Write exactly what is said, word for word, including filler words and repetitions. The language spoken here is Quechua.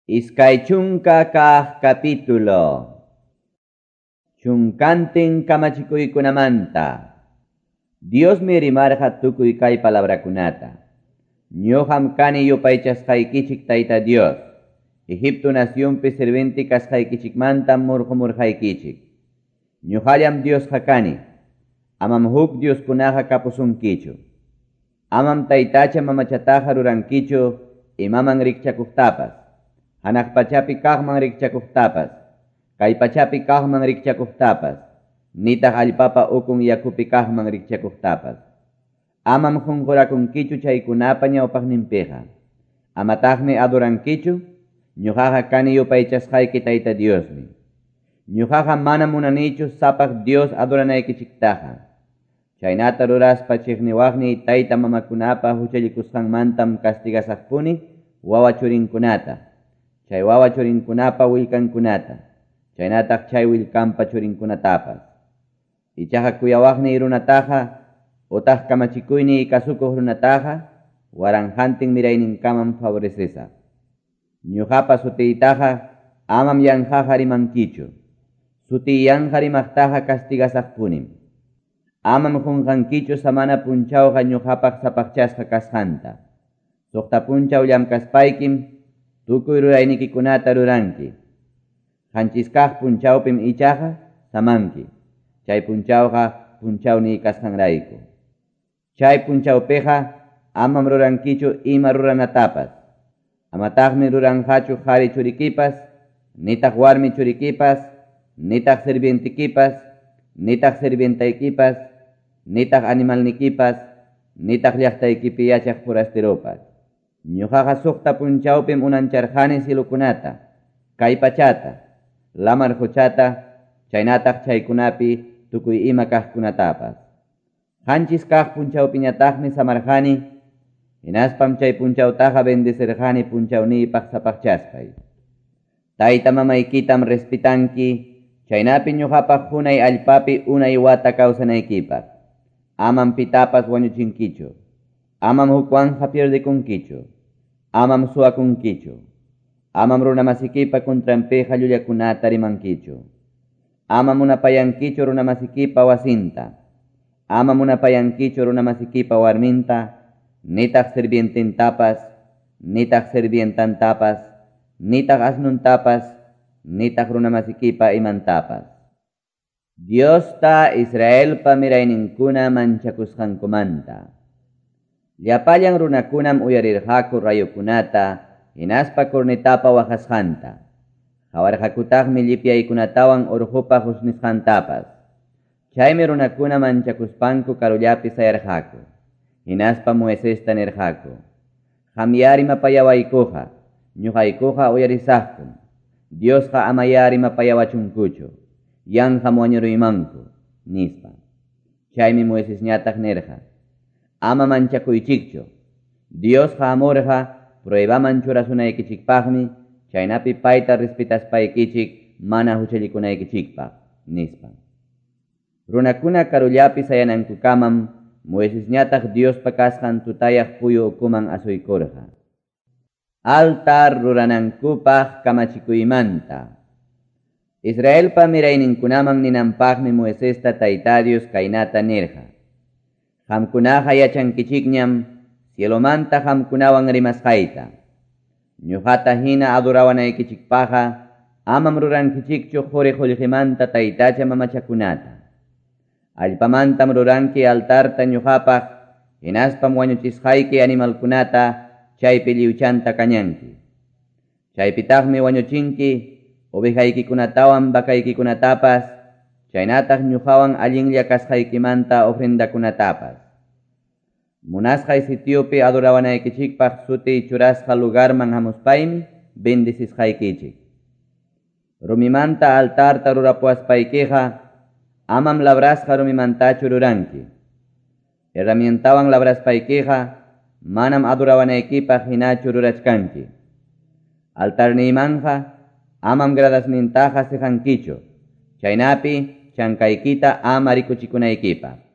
Iskay chunka kaq capítulo. Chunkantin kamachikuykunamanta. Diosmi rimarqa tukuy kay palabrakunata. Ñuqam kani yupaychasqaykichik Tayta Dios. Egipto nacionpi sirviente kasqaykichikmantam murqumurqaykichik. Ñuqallam Diosqa kani. Amam huk Dioskunaqa kapusunkichu. Amam taytacha mamachataqa rurankichu imaman rikchakuqtapas. Hanaq pachapi kaqman rikchakuqtapas, kay pachapi kaqman rikchakuqtapas, nitaq allpapa ukun yakupi kaqman rikchakuqtapas. Amam qunqurakunkichu chaykunapa ñawpaqninpiqa. Amataqmi adorankichu, ñuqaqa kani yupaychasqayki Tayta Diosmi. Ñuqaqa mana munanichu sapaq Dios adoranaykichiktaqa. Chaynata ruraspa chiqniwaqniy tayta mamakunapa huchallikusqanmantam castigasaqpuni wawa churinkunata. Chay wawa churinkunapa willkankunata, chaynataq chay willkanpa churinkunatapas. Ichaqa kuyawaqniy runataqa, utaq kamachikuyniy kasukuq runataqa, waranqantin mirayninkamam favorecesaq. Ñuqapa sutiytaqa amam yanqaqa rimankichu. Sutiy yanqa rimaqtaqa castigasaqpunim. Amam qunqankichu samana punchawqa ñuqapaq sapaqchasqa kasqanta. Suqta punchaw llamkaspaykim tukuy ruraynikikunata ruranki. Qanchis kaq punchawpim ichaqa samanki. Chay punchawqa punchawniy kasqanrayku. Chay punchawpiqa amam rurankichu ima ruranatapas. Amataqmi ruranqachu qhari churikipas, nitaq warmi churikipas, nitaq sirvientikipas, nitaq sirvientaykipas, nitaq animalnikipas, nitaq llaqtaykipi yachaq forasteropas. Ñuqaqa suqta punchawpim unancharqani cilukunata, kay pachata, lamar quchata, chaynataq chaykunapi tukuy ima kaqkunatapas. Qanchis kaq punchawpiñataqmi samarqani, hinaspam chay punchawtaqa bendecirqani punchawniypaq sapaqchaspay. Tayta mamaykitam respitanki, chaynapi ñuqapaq hunay allpapi unay wata kawsanaykipaq. Amam pitapas wañuchinkichu. Amam hukwanja pierdekunkichu. Amam suwakunkichu. Amam runamasikipa contranpiqa llullakunata rimankichu. Amam munapayankichu runamasikipa wasinta. Ama munapayankichu runamasikipa warminta, nitaq sirvientintapas, nitaq sirvientantapas, nitaq asnuntapas, nitaq runamasikipa imantapas. Diosta Israelpa mirayninkuna manchakusqankumanta. Llapallan runakunam uyarirqaku rayukunata, hinaspa cornetapa waqasqanta. Qawarqakutaqmi llipyaykunatawan urqupa husnisqantapas. Chaymi runakuna manchakuspanku karullapi sayarqaku. Hinaspa Moisesta nirqaku: Qamya rimapayawaykuqa, ñuqaykuqa uyarisaqkum. Diosqa amaya rimapayawachunkuchu, yanqam wañuruymanku, nispa. Chaymi Moisesñataq nirqa: Ama manchakuychikchu. Diosqa amurqa pruebaman churasunaykichikpaqmi, chaynapi payta respetaspaykichik mana huchallikunaykichikpaq, nispa. Runakuna karullapi sayanankukamam Moisesñataq Diospa kasqan tutayaq puyu ukuman asuykurqa. Altar ruranankupaq kamachikuymanta. Israelpa mirayninkunaman ninanpaqmi Moisesta Tayta Dios kaynata nirqa: Qamkunaqa yachankichikñam cielomanta qamkunawan rimasqayta. Ñuqata hina adorawanaykichikpaqqa amam rurankichikchu quri qullqimanta taytacha mamachakunata. Allpamantam ruranki altarta ñuqapaq, hinaspam wañuchisqayki animalkunata chaypi lliwchanta kañanki. Chaypitaqmi wañuchinki ovejaykikunatawan vakaykikunatapas, chaynataq ñuqawan allinlla kasqaykimanta ofrendakunatapas. Munasqay sitiopi adorawanaykichikpaq sutiy churasqa lugarman hamuspaymi bendecisqaykichik. Rumimanta altarta rurapuwaspaykiqa amam labrasqa rumimantachu ruranki. Herramientawan labraspaykiqa manam adorawanaykipaq hinachu rurachkanki. Altarniymanja amam gradasnintaqa siqankichu, chaynapi chankaykita ama rikuchikunaykipaq.